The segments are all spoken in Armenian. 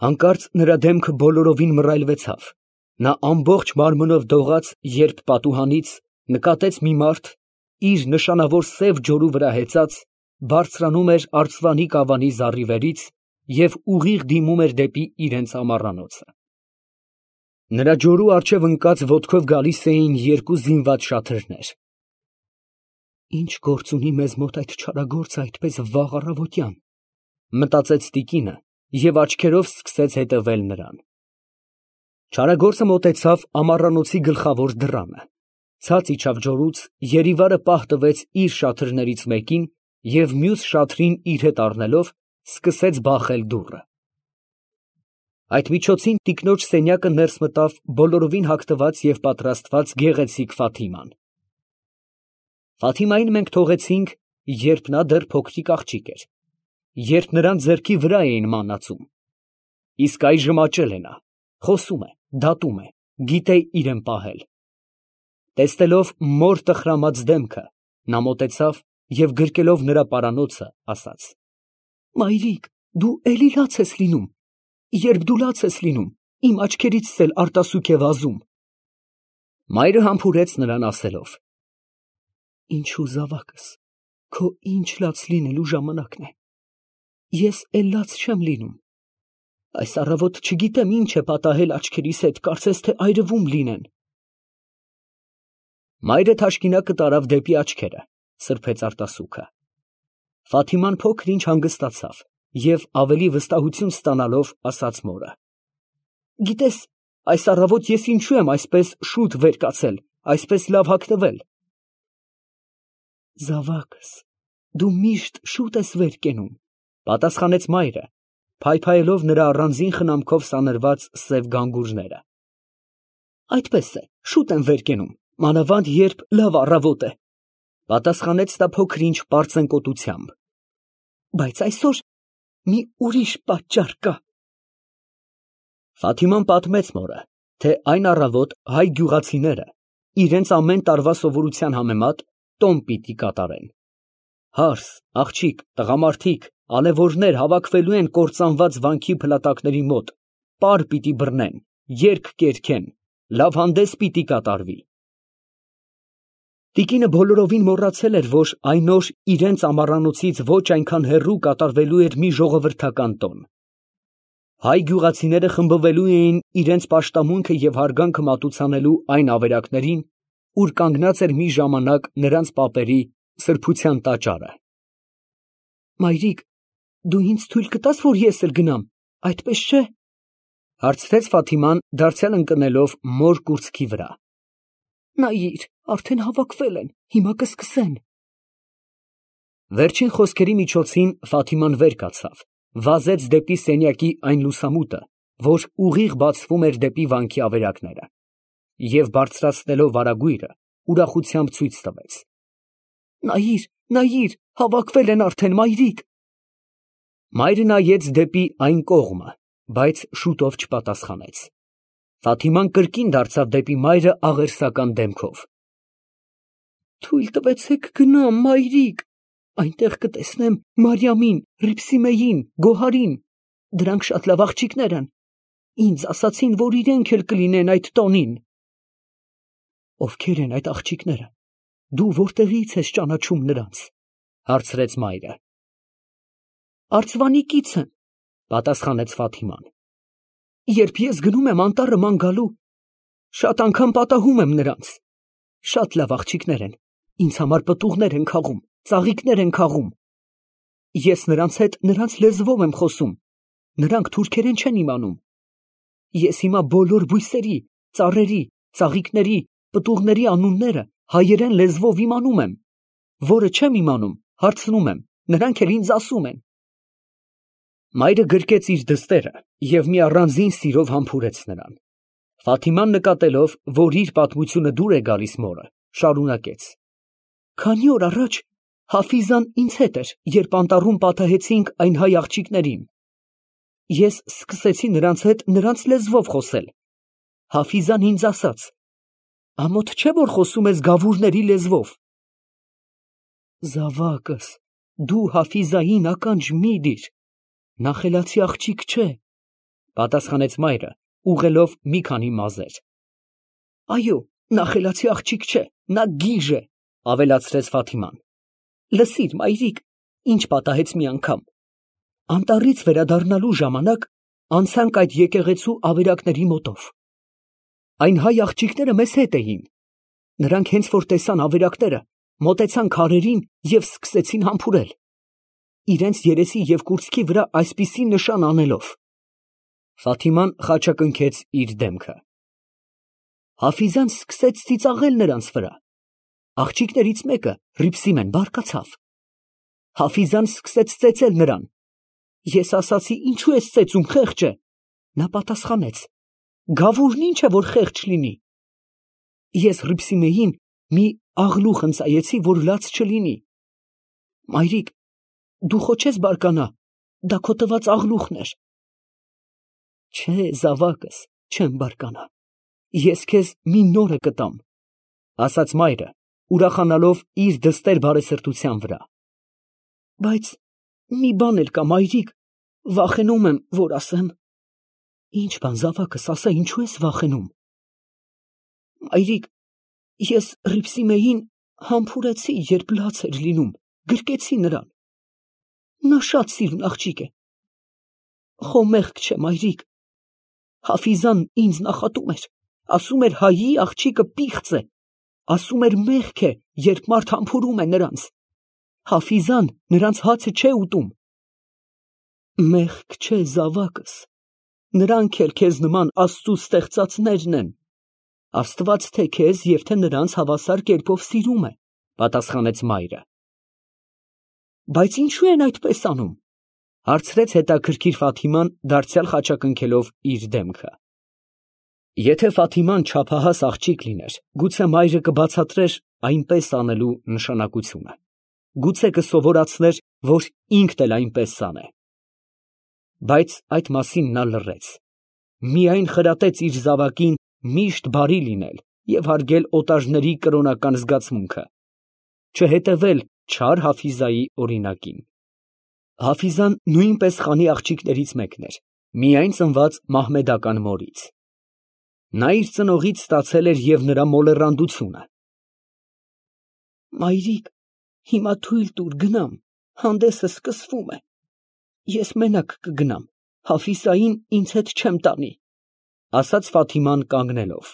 Հանկարծ նրա դեմքը բոլորովին մռայլվեցավ, նա ամբողջ մարմնով դողաց, երբ պատուհանից նկատեց մի մարդ, իր նշանավոր սև ջորու վրա հեծած, բարձրանում էր արծվանի կավանի զառիվերից և ուղիղ դիմում էր դեպի իրենց ամառանոցը։ Նրա ջորու առջև ընկած ոտքով գալիս էին երկու զինված շաթրներ։ Ինչ գործ ունի մեզ մոտ այդ չարագործը այդպես վաղ առավոտյան, մտածեց տիկինը և աչքերով սկսեց հետևել նրան։ Չարագործը մոտեցավ ամառանոցի գլխավոր դռանը, ցած իջավ ջորուց, երիվարը պահ տվեց իր շաթրներից մեկին և մյուս շաթրին իր հետ առնելով սկսեց բախել դուռը։ Այդ միջոցին տիկնոջ սենյակը ներս մտավ բոլորովին հագնված և պատրաստված գեղեցիկ Ֆաթիման։ Ֆաթիմային մենք թողեցինք, երբ նա դեռ փոքրիկ աղջիկ էր, երբ նրան ձեռքի վրա էին մանածում, իսկ այժմ աճել է նա, խոսում է, դատում է, գիտե իրեն պահել։ Տեսնելով մոր տխրամած դեմքը, նա մոտեցավ և գրկելով նրա պարանոցը, ասաց. «Մայրիկ, դու էլի լաց ես լինում, երբ դու լաց ես լինում, իմ աչքերիցս էլ արտասուք է վազում»։ Մայրը համբուրեց նրան ասելով. «Ինչու զավակս, քո ինչ լաց լինելու ժամանակն է, ես էլ լաց չեմ լինում, այս առավոտ չգիտեմ ինչ է պատահել աչքերիս հետ, կարծես թե այրվում լինեն»։ Մայրը թաշկինակը տարավ դեպի աչքերը, սրբեց արտասուքը։ Ֆաթիման փոքր ինչ հանգստացավ և ավելի վստահություն ստանալով, ասաց մորը. «Գիտես, այս առավոտ ես ինչու եմ այսպես շուտ վեր կացել, այսպես լավ հագնվել»։ «Զավակս, դու միշտ շուտ ես վեր կենում», պատասխանեց մայրը, փայփայելով նրա առանձին խնամքով սանրված սև գանգուրները։ «Այդպես է, շուտ եմ վեր կենում, մանավանդ երբ լավ առավոտ է», պատասխանեց նա փոքր ինչ պարծենկոտությամբ։ «Բայց այսօր մի ուրիշ պատճառ կա»։ Ֆաթիման պատմեց մորը, թե այն առավոտ հայ գյուղացիները իրենց ամեն տարվա սովորության համեմատ տոն պիտի կատարեն։ Հարս, աղջիկ, տղամարդիկ, ալեւորներ հավաքվելու են կործանված վանքի փլատակների մոտ, պար պիտի բռնեն, երգ կերգեն, լավ հանդես պիտի կատարվի։ Տիկինը բոլորովին մոռացել էր, որ այն օր իրենց ամառանոցից ոչ այնքան հեռու կատարվելու էր մի ժողովրդական տոն։ Հայ գյուղացիները խմբվելու էին իրենց պաշտամունքը և հարգանքը մատուցանելու այն ավերակներին, ուր կանգնած էր մի ժամանակ նրանց պապերի սրբության տաճարը։ «Մայրիկ, դու ինձ թույլ կտա՞ս, որ ես էլ գնամ, այդպես չէ՞, հարցրեց Ֆաթիման, դարձյալ ընկնելով մոր կուրծքի վրա։ «Նայիր, արդեն հավաքվել են, հիմա կսկսեն»։ Վերջին խոսքերի միջոցին Ֆաթիման վեր կացավ, վազեց դեպի սենյակի այն լուսամուտը, որ ուղիղ բացվում էր դեպի վանքի ավերակները, և բարձրացնելով վարագույրը, ուրախությամբ ցույց տվեց. «Նայիր, նայիր, հավաքվել են արդեն, մայրիկ»։ Մայրը նայեց դեպի այն կողմը, բայց շուտով չպատասխանեց։ Ֆաթիման կրկին դարձավ դեպի մայրը աղերսական դեմքով։ «Թույլ տվեցեք գնամ, մայրիկ, այնտեղ կտեսնեմ Մարիամին, Ռիփսիմեին, Գոհարին, դրանք շատ լավ աղջիկներ են, ինձ ասացին, որ իրենք էլ կլինեն այդ տոնին»։ «Ովքեր են այդ աղջիկները, դու որտեղից ես ճանաչում նրանց», հարցրեց մայրը։ «Արծվանիկից են», պատասխանեց Ֆաթիման։ «Երբ ես գնում եմ անտառը ման գալու, շատ անգամ պատահում եմ նրանց, շատ լավ աղջիկներ են, ինձ համար պտուղներ են քաղում, ծաղիկներ են քաղում։ Ես նրանց հետ նրանց լեզվով եմ խոսում, նրանք թուրքերեն չեն իմանում։ Ես հիմա բոլոր բույսերի, ծառերի, ծաղիկների, պտուղների անունները հայերեն լեզվով իմանում եմ, որը չեմ իմանում, հարցնում եմ, նրանք էլ ինձ ասում են»։ Մայրը գրկեց իր դստերը և մի առանձին սիրով համբուրեց նրան։ Ֆաթիման նկատելով, որ իր պատմությունը դուր է գալիս մորը, շարունակեց. «Քանի օր առաջ Հաֆիզան ինձ հետ էր, երբ անտառում պատահեցինք այն հայ աղջիկներին։ Ես սկսեցի նրանց հետ նրանց լեզվով խոսել։ Հաֆիզան ինձ ասաց. ամոթ չէ, որ խոսում ես գավուրների լեզվով։ Զավակս, դու Հաֆիզային ականջ մի դիր, նա խելացի աղջիկ չէ, Պատասխանեց մայրը, ուղղելով մի քանի մազեր։ Այո, նա խելացի աղջիկ չէ, նա գիժ է, ավելացրեց Ֆաթիման։ Լսիր, մայրիկ, ինչ պատահեց մի անգամ։ Անտառից վերադառնալու ժամանակ անցանք այդ եկեղեցու ավերակների մոտով։ Այն հայ աղջիկները մեզ հետ էին։ Նրանք հենց որ տեսան ավերակները, մոտեցան քարերին և սկսեցին համբուրել, իրենց երեսի և կուրծքի վրա այսպիսի նշան անելով։ Ֆաթիման խաչակնքեց իր դեմքը։ Հաֆիզան սկսեց ծիծաղել նրանց վրա։ Աղջիկներից մեկը, Հռիփսիմեն, բարկացավ։ Հաֆիզան սկսեց ծեծել նրան։ Ես ասացի, ինչու ես ծեծում, խեղճ է։ Նա պատասխանեց. Գավուրն ինչ է, որ խեղճ լինի։ Ես Հռիփսիմեին մի աղլուխ ընծայեցի, որ լաց չլինի։ Մայրիկ, դու խո չես բարկանա, դա քո տված աղլուխն էր։ Չէ, զավակս, չեմ բարկանա։ Ես քեզ մի նորը կտամ, ասաց մայրը, ուրախանալով իր դստեր բարեսրտության վրա։ Բայց մի բան էլ կա, մայրիկ, վախենում եմ, որ ասեմ։ Ինչ բան, զավակս, ասա, ինչու ես վախենում։ Մայրիկ, ես Հռիփսիմեին համբուրեցի, երբ լաց էր լինում, գրկեցի նրան։ Նա շատ սիրուն աղջիկ է։ Խո մեղք չէ, մայրիկ։ Հաֆիզան ինձ նախատում էր, ասում էր հայի աղջիկը պիղծ է, ասում էր մեղք է, երբ մարդ համբուրում է նրանց։ Հաֆիզան նրանց հացը չէ ուտում։ Մեղք չէ, զավակս, նրանք էլ քեզ նման Աստծու ստեղծածներն են։ Աստված թե քեզ և թե նրանց հավասար կերպով սիրում է, պատասխանեց մայրը։ Բայց ինչու են այդպես անում, հարցրեց հետաքրքիր Ֆաթիման, դարձյալ խաչակնքելով իր դեմքը։ Եթե Ֆաթիման չափահաս աղջիկ լիներ, գուցե մայրը կբացատրեր այնպես անելու նշանակությունը։ Գուցե կսովորացներ, որ ինքն էլ այնպես անե։ Բայց այդ մասին նա լռեց։ Միայն խրատեց իր զավակին միշտ բարի լինել և հարգել օտարների կրոնական զգացմունքը, չհետևել չար Հաֆիզայի օրինակին։ Հաֆիզան նույնպես խանի աղջիկներից մեկն էր, միայն ծնված մահմեդական մորից։ Նա իր ծնողից ստացել էր և նրա մոլեռանդությունը։ Մայրիկ, հիմա թույլ տուր գնամ, հանդեսը սկսվում է։ Ես մենակ կգնամ, Հաֆիզային ինձ հետ չեմ տանի, ասաց Ֆաթիման կանգնելով։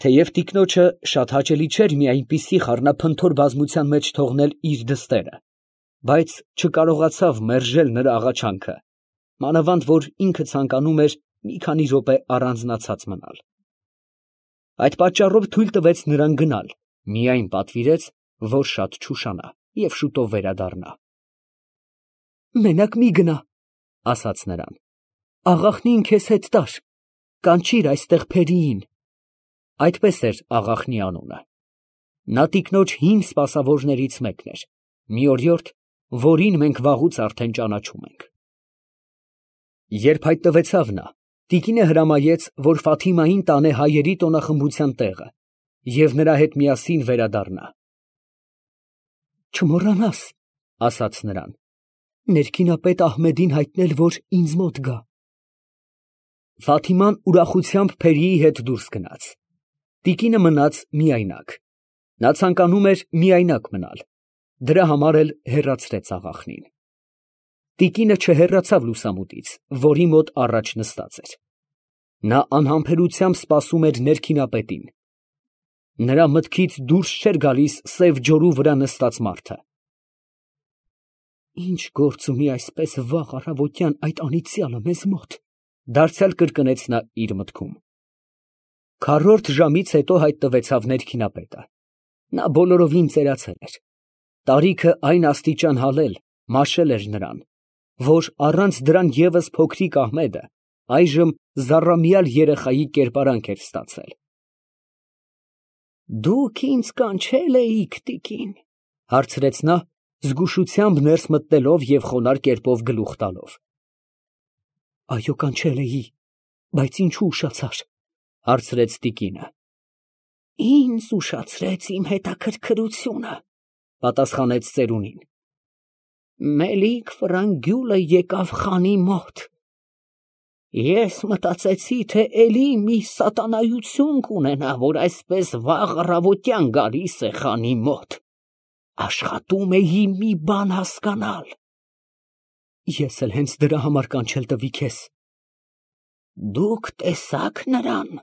Թեև տիկնոջը շատ հաճելի չէր մի այնպիսի խառնափնթոր բազմության մեջ թողնել իր դստերը, բայց չկարողացավ մերժել նրա աղաչանքը, մանավանդ որ ինքը ցանկանում էր մի քանի րոպե առանձնացած մնալ։ Այդ պատճառով թույլ տվեց նրան գնալ, միայն պատվիրեց, որ շատ չուշանա և շուտով վերադառնա։ Մենակ մի գնա, ասաց նրան։ Աղախնին քեզ հետ տար, կանչիր այստեղ Փերիին։ Այդպես էր աղախնի անունը։ Նա տիկնոջ հին սպասավորներից մեկն էր, մի օրիորդ, որին մենք վաղուց արդեն ճանաչում ենք։ Երբ հայտնվեցավ նա, տիկինը հրամայեց, որ Ֆաթիմային տանե հայերի տոնախմբության տեղը և նրա հետ միասին վերադառնա։ Չմոռանաս, ասաց նրան, ներքինապետ Ահմեդին հայտնել, որ ինձ մոտ գա։ Ֆաթիման ուրախությամբ Փերիի հետ դուրս գնաց։ Տիկինը մնաց միայնակ։ Նա ցանկանում էր միայնակ մնալ, դրա համար էլ հեռացրեց աղախնին։ Տիկինը չհեռացավ լուսամուտից, որի մոտ առաջ նստած էր։ Նա անհամբերությամբ սպասում էր ներքինապետին։ Նրա մտքից դուրս չէր գալիս սև ջորու վրա նստած մարդը։ Ինչ գործ ունի այսպես վաղ առավոտյան այդ անիծյալը մեզ մոտ, դարձյալ կրկնեց նա իր մտքում։ Քառորդ ժամից հետո հայտնվեցավ ներքինապետը։ Նա բոլորովին ծերացել էր։ Տարիքը այն աստիճան հալել, մաշել էր նրան, որ առանց դրան ևս փոքրիկ Ահմեդը այժմ զառամյալ երեխայի կերպարանք էր ստացել։ Դուք ինձ կանչել էիք, տիկին, հարցրեց նա, զգուշությամբ ներս մտնելով և խոնարհ կերպով գլուխ տալով։ Այո, կանչել էի, բայց ինչու ուշացար, հարցրեց տիկինը։ Ինձ ուշացրեց իմ հետաքրքրությունը, պատասխանեց ծերունին։ Մելիք Ֆրանգյուլը եկավ խանի մոտ։ Ես մտածեցի, թե էլի մի սատանայություն կունենա, որ այսպես վաղ առավոտյան գալիս է խանի մոտ։ Աշխատում էի մի բան հասկանալ։ Ես էլ հենց դրա համար կանչել տվի քեզ։ Դուք տեսաք նրան։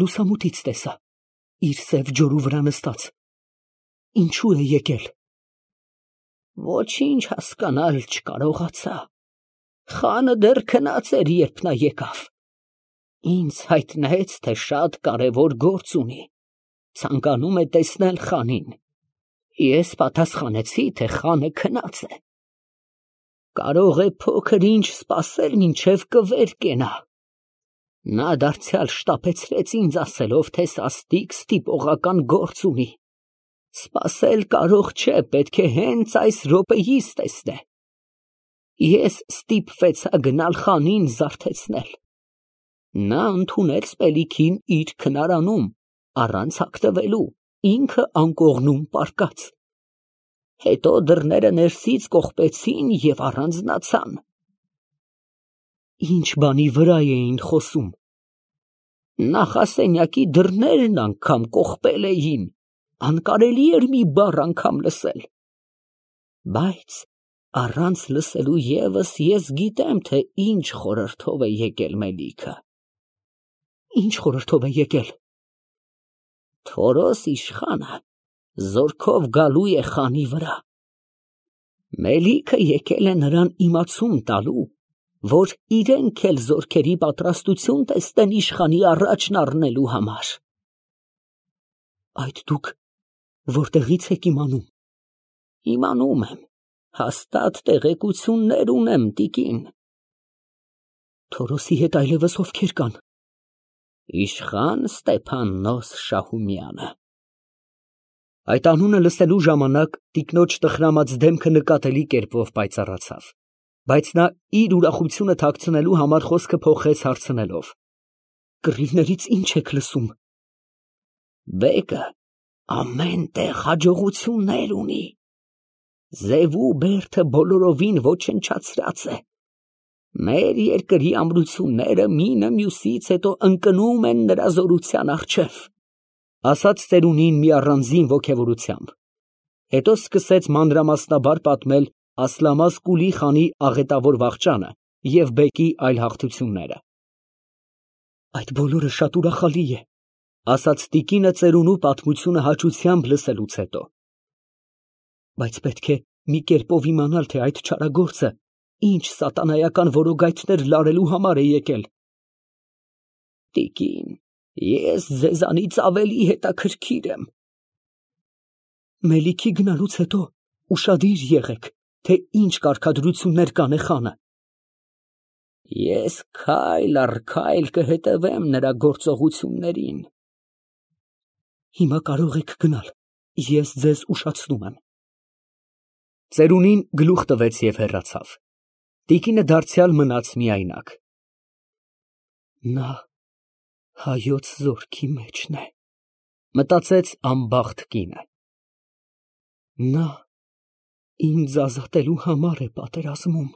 Լուսամուտից տեսա, իր սև ջորու վրա նստած։ Ինչու է եկել։ Ոչինչ հասկանալ չկարողացա։ Խանը դեռ քնած էր, երբ նա եկավ։ Ինձ հայտնեց, թե շատ կարևոր գործ ունի։ Ցանկանում է տեսնել խանին։ Ես պատասխանեցի, թե խանը քնած է։ Կարող է փոքր ինչ սպասել, մինչև կվեր կենա։ Նա դարձյալ շտապեցրեց ինձ ասելով, թե սաստիկ ստիպողական գործ ունի։ Սպասել կարող չէ, պետք է հենց այս րոպեիս տեսնե։ Ես ստիպվեցա գնալ խանին զարթեցնել։ Նա ընդունեց պելիքին իր քնարանում, առանց հագնվելու, ինքը անկողնում պառկած։ Հետո դռները ներսից կողպեցին և առանձնացան։ Ինչ բանի վրա էին խոսում։ Նախասենյակի դռներն անգամ կողպել էին, անկարելի էր մի բառ անգամ լսել։ Բայց առանց լսելու ևս ես գիտեմ, թե ինչ խորհրդով է եկել Մելիքը։ Ինչ խորհրդով է եկել։ Թորոս իշխանը զորքով գալու է խանի վրա։ Մելիքը եկել է նրան իմացում տալու, որ իրենք էլ զորքերի պատրաստություն տեսնեն իշխանի առաջն առնելու համար։ Այդ դուք որտեղից եք իմանում։ Իմանում եմ, հաստատ տեղեկություններ ունեմ, տիկին։ Թորոսի հետ այլևս ովքեր կան։ Իշխան Ստեփաննոս Շահումյանը։ Այդ անունը լսելու ժամանակ տիկնոջ տխրամած դեմքը նկատելի կերպով պայծառացավ, բայց նա իր ուրախությունը թաքցնելու համար խոսքը փոխեց հարցնելով. Կռիվներից ինչ եք լսում։ Բեկը ամեն տեղ հաջողություններ ունի։ Զևու բերդը բոլորովին ոչնչացրած է։ Մեր երկրի ամրությունները մինը մյուսից հետո ընկնում են նրա զորության առջև, ասաց ծերունին մի առանձին ոգևորությամբ։ Հետո սկսեց մանրամասնաբար պատմել Ասլամազ Կուլի խանի աղետավոր վախճանը և բեկի այլ հաղթությունները։ Այդ բոլորը շատ ուրախալի է, ասաց տիկինը ծերունու պատմությունը հաճությամբ լսելուց հետո։ Բայց պետք է մի կերպով իմանալ, թե այդ չարագործը ինչ սատանայական որոգայթներ լարելու համար է եկել։ Տիկին, ես ձեզանից ավելի հետաքրքիր եմ։ Մելիքի գնալուց հետո ուշադիր եղեք, թե ինչ կարգադրություններ կանե խանը։ Ես քայլ առ քայլ կհետևեմ նրա գործողություններին։ Հիմա կարող եք գնալ, ես ձեզ ուշացնում եմ։ Ծերունին գլուխ տվեց և հեռացավ։ Տիկինը դարձյալ մնաց միայնակ։ Նա հայոց զորքի մեջն է, մտածեց անբախտ կինը։ Նա ինձ ազատելու համար է պատերազմում։